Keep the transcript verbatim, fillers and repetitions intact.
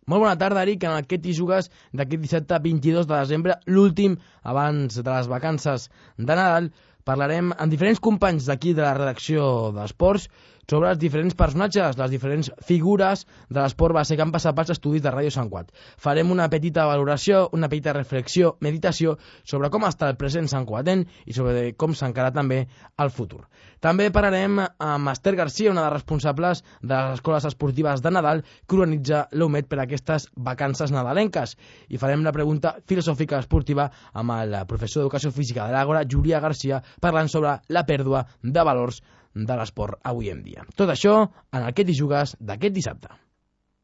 Molt bona tarda, Eric. En aquest Hi jugues d'aquest dissabte vint-i-dos de desembre, l'últim abans de les vacances de Nadal, parlarem amb diferents companys d'aquí de la redacció d'Esports sobre els diferents personatges, les diferents figures de l'esport base que han passat pels estudis de Ràdio Sant Cugat. Farem una petita valoració, una petita reflexió, meditació sobre com està el present santcugatenc i sobre com s'encara també el futur. També parlarem amb Esther Garcia, una de les responsables de les escoles esportives de Nadal que organitza l'U M E D per aquestes vacances nadalenques. I farem la pregunta filosòfica esportiva amb el professor d'Educació Física de l'Àgora, Julià Garcia, parlant sobre la pèrdua de valors de l'esport avui en dia. Tot això en el que Hi jugues d'aquest dissabte.